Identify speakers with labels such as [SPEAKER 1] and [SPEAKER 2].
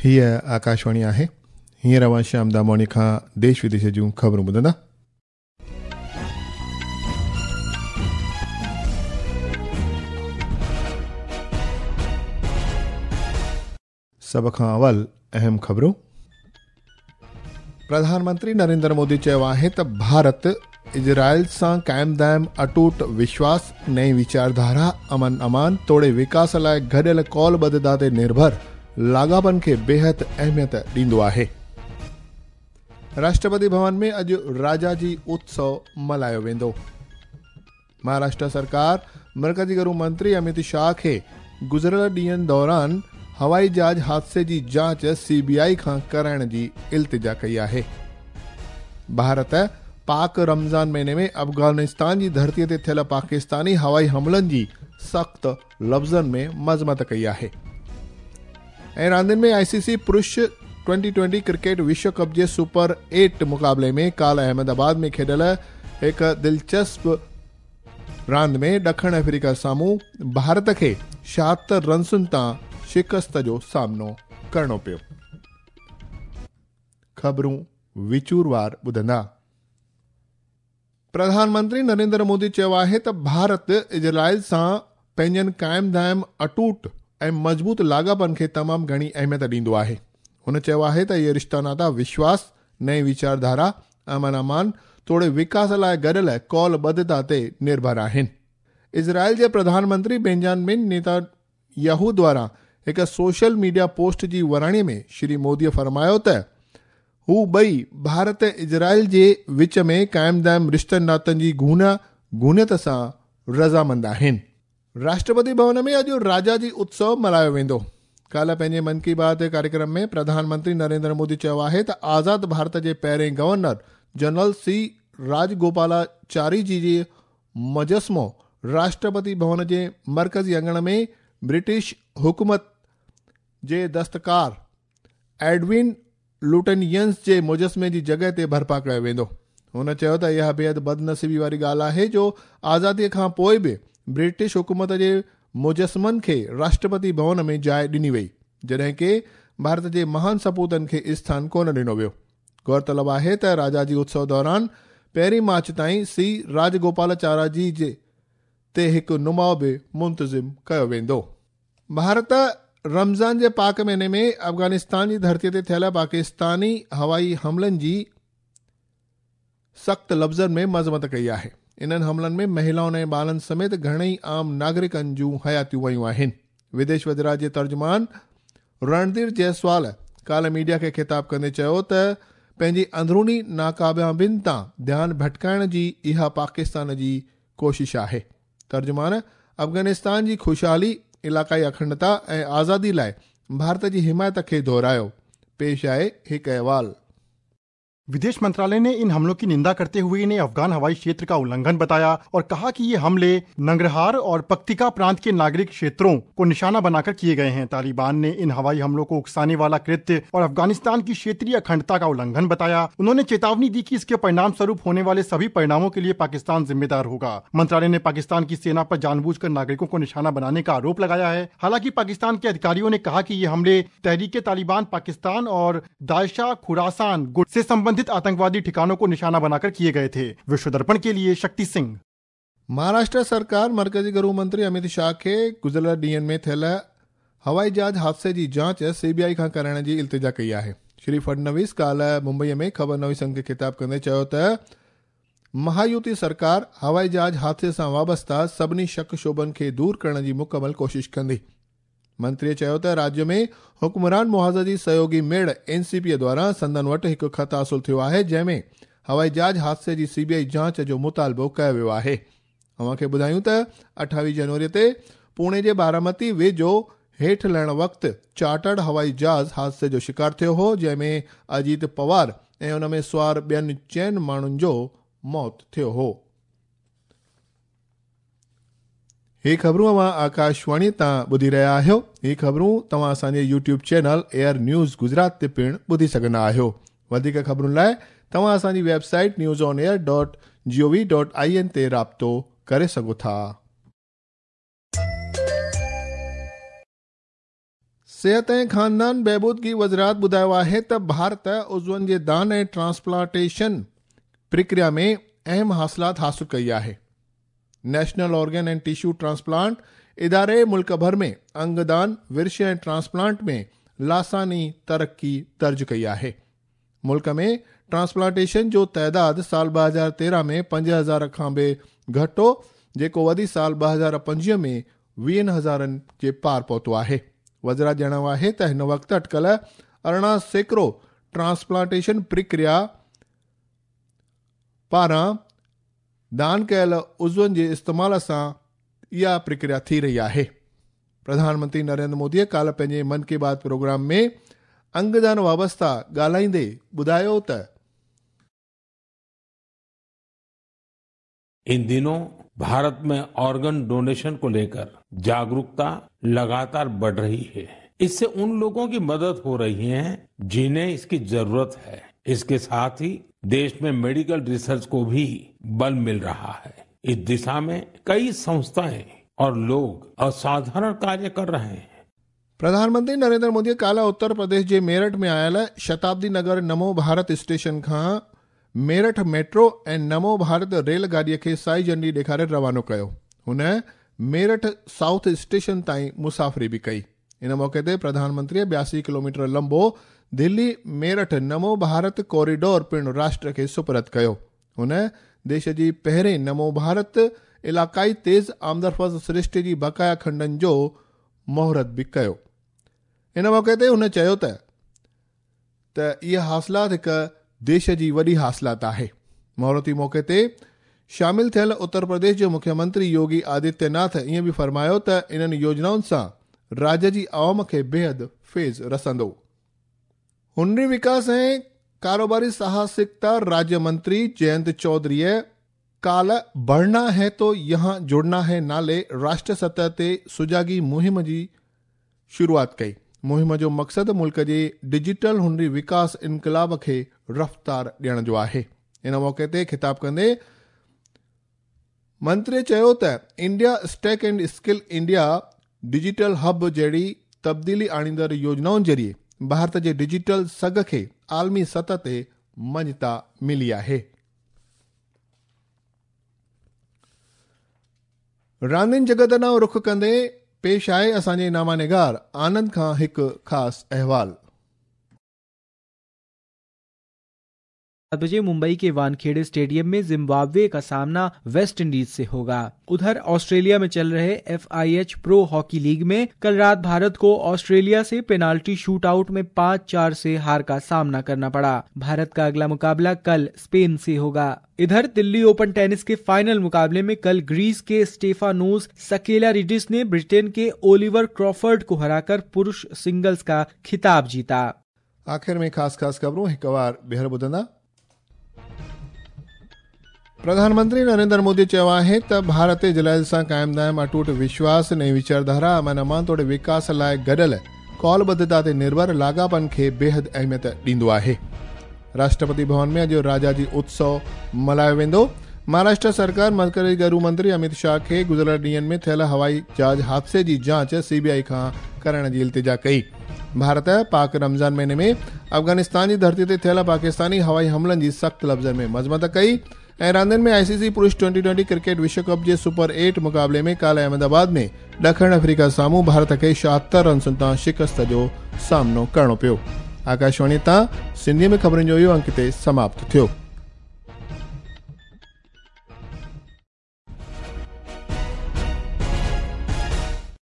[SPEAKER 1] هيء آڪاشواڻي آهي. هينئر اوهان شيام دامواڻي کان ديش وديش جون خبرون ٻڌندا. سڀ کان اول اهم خبرون. پرڌان منتري نريندر مودي چيو آهي ته ڀارت اسرائيل سان قائم دائم اٽوٽ وشواس، نئين ويچارڌارا، امن امان توڙي وڪاس لاء گڏيل قول ٻڌتا تي نرڀر لاڳاپن کي بيحد اهميت ڏيندو آهي. راشٽرپتي ڀون ۾ اڄ راجاجي اتسو ملهايو ويندو. مهاراشٽر سرڪار مرڪزي گهرو منتري اميت شاهه کي گذريل ڏينهن دوران هوائي جهاز حادثي جي جاچ سي بي آء کان ڪرائڻ جي التجا ڪئي آهي. ڀارت پاڪ رمضان مهيني ۾ افغانستان جي ڌرتي تي ٿيل پاڪستاني هوائي حملن جي سخت لفظن ۾ مذمت ڪئي آهي. ۽ راندين ۾ آء سي سي پرش ٽوئنٽي ٽوئنٽي ڪرڪيٽ وشو ڪپ جي سپر ايٽ مقابلي ۾ ڪالهه احمد آباد ۾ کيڏيل هڪ دلچسپ راند ۾ ڏکڻ آفريڪا سامهون ڀارت کي 76 رنسن تان شڪست جو سامنو ڪرڻو پيو. خبرون وچوروار ٻڌندا. پرڌان منتري نريندر مودي چيو آهي ته ڀارت اسرائيل سان پنهنجن قائم دائم اٽوٽ ۽ مضبوط لاڳاپن کي تمام گهڻي اهميت ڏيندو آهي. هن چيو آهي ته اهي رشتا ناتا وشواس، نئين ويچارڌارا، امن امان توڙي وڪاس لاء گڏيل قول ٻڌتا تي نرڀر آهن. اسرائيل جي پرڌان منتري بينجامن نيتا ياهو دواران هڪ سوشل ميڊيا پوسٽ جي وراڻي ۾ شري مودي فرمايو ته هو ٻئي ڀارت ۽ اسرائيل جي وچ ۾ قائم دائم رشتن ناتن جي گهونا گهونيت سان رضامند آهن. راشٽرپتي ڀون ۾ اڄ راجاجي اتسو ملهايو ويندو. ڪالهه پنهنجي من ڪي بات ڪاريڪرم ۾ پرڌان منتري نريندر مودي چيو آهي ته آزاد ڀارت جي پهرين گورنر جنرل سي راجگوپالاچاري جي جي مجسمو راشٽرپتي ڀون جي مرڪزي اڱڻ ۾ برٽش حڪومت جي دستڪار ايڊون لوٽنينس جي مجسمي جي جڳهه تي برپا ڪيو ويندو. هن چيو ته اها بيحد بدنصيبي واري ڳالهه آهي جو آزادي کان پوء به برٽش حڪومت جي مجسمن کي راشٽرپتي ڀون ۾ جاء ڏني وئي، جڏهن ڪي ڀارت جي مهان سپوتن کي اسٿان ڪونه ڏنو ويو. غور طلب آهي ته راجاجي اتسو دوران پهرين مارچ تائين سي راجگوپالاچاراجي جي تي هڪ نماء به منتظم ڪيو ويندو. ڀارت رمضان جي پاڪ مهيني ۾ افغانستان جي ڌرتي تي ٿيل پاڪستاني هوائي حملن جي سخت لفظن ۾ مذمت ڪئي آهي. انهن حملن ۾ مهلائن ۽ ٻارن سميت گهڻئي عام ناگرڪن جون حياتيون ويون آهن. وديش وزارت جي ترجمان رڻڌير جئسوال ڪالهه ميڊيا کي خطاب ڪندي چيو ته پنهنجي اندروني ناڪاميابين تان ڌيان ڀٽڪائڻ جي اها پاڪستان جي ڪوشش آهي. ترجمان افغانستان جي خوشحالي، علائقائي اکنڊتا ۽ آزادي لاء ڀارت جي حمايت کي دهرايو. پيش آهي هڪ احوال.
[SPEAKER 2] विदेश मंत्रालय ने इन हमलों की निंदा करते हुए इन्हें अफगान हवाई क्षेत्र का उल्लंघन बताया और कहा कि ये हमले नंगरहार और पक्तिका प्रांत के नागरिक क्षेत्रों को निशाना बनाकर किए गए हैं। तालिबान ने इन हवाई हमलों को उकसाने वाला कृत्य और अफगानिस्तान की क्षेत्रीय अखंडता का उल्लंघन बताया। उन्होंने चेतावनी दी कि इसके परिणाम स्वरूप होने वाले सभी परिणामों के लिए पाकिस्तान जिम्मेदार होगा। मंत्रालय ने पाकिस्तान की सेना पर जानबूझकर नागरिकों को निशाना बनाने का आरोप लगाया है। हालांकि पाकिस्तान के अधिकारियों ने कहा कि ये हमले तहरीक तालिबान पाकिस्तान और दायशा खुरासान गुट से संबंधित आतंकवादी ठिकानों को निशाना बनाकर किए गए थे। विश्व दर्पण के लिए शक्ति सिंह।
[SPEAKER 1] महाराष्ट्र सरकार मर्कजी गृह मंत्री अमित शाह खे गुज़िरियल ॾींहंनि में थियल हवाई जहाज़ हादसे जी जांच सीबीआई खां कराइण जी इल्तिजा कई आहे। श्री फडणवीस काल्हि मुंबईअ में ख़बर नवीसनि खे ख़िताब कंदे चयो त महायुति सरकार हवाई जहाज़ हादसे सां वाबस्ता सभिनी शक शोबनि खे दूर करण जी मुकमल कोशिश कंदी। मंत्रीअ चयो त राज्य में हुक्मरान मुहाज़ जी सहयोगी मेड़ एनसीपी द्वारा संदन वटि हिकु ख़त हासिल थियो आहे, जंहिंमें हवाई जहाज़ हादसे जी सीबीआई जांच जो मुतालबो कयो वियो आहे। अव्हां खे ॿुधायूं त 28 जनवरी ते पुणे जे बारामती वेझो हेठि लहण वक़्तु चार्टर्ड हवाई जहाज़ हादसे जो शिकार थियो हो, जंहिंमें अजीत पवार ऐं उन में सुवार ॿियनि 4 माण्हुनि जो मौत थियो हो। ही ख़बरूं अव्हां आकाशवाणी तां ॿुधी रहिया आहियो। ही ख़बरूं तव्हां असांजे YouTube channel air news Gujarat ते पिणु ॿुधी सघंदा आहियो। वधीक ख़बरुनि लाइ तव्हां असांजी वेबसाइट newsonair.gov.in ते राब्तो करे सघो था। सेहत ऐं ख़ानदान बहबूदगी वज़ारत ॿुधायो आहे त भारत उज़्वनि जे दान ऐं ट्रांसप्लांटेशन प्रक्रिया में अहम हासिलात हासिल कई आहे। National organ and tissue transplant इदारे मुल्क भर में अंगदान, विर्श ऐं ट्रांसप्लांट में लासानी तरक़ी दर्ज कई आहे। मुल्क में ट्रांसप्लांटेशन जो तादाद साल 2013 में 5000 खां बि घटि हो, जेको वधी साल 2025 में 20,000 जे पार पहुतो आहे। वज़ारत ॼाणायो आहे त हिन वक़्तु अटकल 18% ट्रांसप्लांटेशन प्रक्रिया पारां दान कयल उज़्वनि जे इस्तेमाल सां इहा प्रक्रिया थी रही आहे। प्रधानमंत्री नरेंद्र मोदीअ काल्ह पंहिंजे मन की बात प्रोग्राम में अंगदान वाबस्ता ॻाल्हाईंदे ॿुधायो त
[SPEAKER 3] इन दिनों भारत में ऑर्गन डोनेशन को लेकर जागरूकता लगातार बढ़ रही है। इससे उन लोगों की मदद हो रही है जिन्हें इसकी जरूरत है। इसके साथ ही देश में मेडिकल रिसर्च को भी बल मिल रहा है। इस दिशा में कई संस्थाएं और लोग असाधारण कार्य कर रहे हैं।
[SPEAKER 1] प्रधानमंत्री नरेंद्र मोदी काल्ह उत्तर प्रदेश जे मेरठ में आयल शताब्दी नगर नमो भारत स्टेशन खां मेरठ मेट्रो ऐं नमो भारत रेलगाॾीअ खे साई झंडी ॾेखारे रवानो कयो। हुन मेरठ साउथ स्टेशन ताईं मुसाफ़िरी बि कई। इन मौक़े ते प्रधानमंत्रीअ 82 किलोमीटर लंबो दिल्ली मेरठ नमो भारत कॉरिडोर पिणु राष्ट्र खे सुपुर्द कयो। हुन देश जी पहिरीं नमो भारत इलाक़ाई तेज़ आमदरफ़्त सृष्टि जी बक़ाया खंडनि जो मुहूर्त बि कयो। इन मौक़े ते हुन चयो त इहा हासिलात हिकु देश जी वॾी हासिलात आहे। मुहूर्ती मौक़े ते शामिल थियल उत्तर प्रदेश जो मुख्यमंत्री योगी आदित्यनाथ ईअं बि फ़रमायो त इन्हनि योजनाउनि सां राज्य जी आवाम खे बेहद फैज़ रसंदो। हुनरी विकास ऐं कारोबारी साहसिकता राज्य मंत्री जयंत चौधरीअ काल्ह बढ़ना है तो यहाँ जुड़ना है नाले राष्ट्र सतह ते सुजागी मुहिम जी शुरूआत कई। मुहिम जो मक़सदु मुल्क जे डिजिटल हुनरी विकास इनक़लाब खे रफ़्तार ॾियण जो आहे। इन मौक़े ते ख़िताब कंदे मंत्री चयो त India stack and skill India digital hub जहिड़ी तब्दीली आणींदड़ योजनाउनि ज़रिए भारत जे डिजिटल सघ खे आलमी सतह ते मान्यता मिली आहे। रांदियुनि जगत ॾांहुं रुख कंदे पेश आहे असांजे नामानिगार आनंद खां हिकु ख़ासि अहवाल।
[SPEAKER 4] 7 बजे मुंबई के वानखेड़े स्टेडियम में जिम्बाब्वे का सामना वेस्ट इंडीज से होगा। उधर ऑस्ट्रेलिया में चल रहे FIH pro hockey league में कल रात भारत को ऑस्ट्रेलिया से पेनाल्टी शूटआउट में 5-4 से हार का सामना करना पड़ा। भारत का अगला मुकाबला कल स्पेन से होगा। इधर दिल्ली ओपन टेनिस के फाइनल मुकाबले में कल ग्रीस के स्टेफानोस सकेलारिडिस ने ब्रिटेन के ओलिवर क्रॉफर्ड को हराकर पुरुष सिंगल्स का खिताब जीता।
[SPEAKER 1] आख़िर में ख़ासि ख़ासि ख़बरूं हिकु वार ॿीहर ॿुधंदा। प्रधानमंत्री नरेंद्र मोदी चयो आहे त भारत इज़राइल सां क़ाइम दाइम अटूट विश्वास, नई वीचारधारा, अमन अमान तोड़े विकास लाइ गॾियल कौलबद्धता ते निर्भर लाॻापनि खे बेहद अहमियत ॾींदो आहे। राष्ट्रपति भवन में अॼु राजाजी उत्सव मल्हायो वेंदो। महाराष्ट्र सरकार मरकज़ी गृह मंत्री अमित शाह खे गुज़िरियल ॾींहंनि में थियल हवाई जहाज़ हादसे जी जांच सीबीआई खां करण जी इल्तिजा कई। भारत पाक रमज़ान महीने में अफ़गानिस्तान जी धरती ते थियल पाकिस्तानी हवाई हमलनि जी सख़्तु लफ़्ज़नि में मज़म्मत कई। ऐं रांदियुनि में आईसीसी पुरुष 2020 क्रिकेट विश्व कप जे सुपर 8 मुक़ाबले में काल्ह अहमदाबाद में ॾखिण अफ्रीका साम्हूं भारत खे 76 रनसुनि तां शिकस्त जो सामनो करिणो पियो। आकाशवाणी तां सिंधीअ में ख़बरुनि जो इहो अंक हिते समाप्त थियो।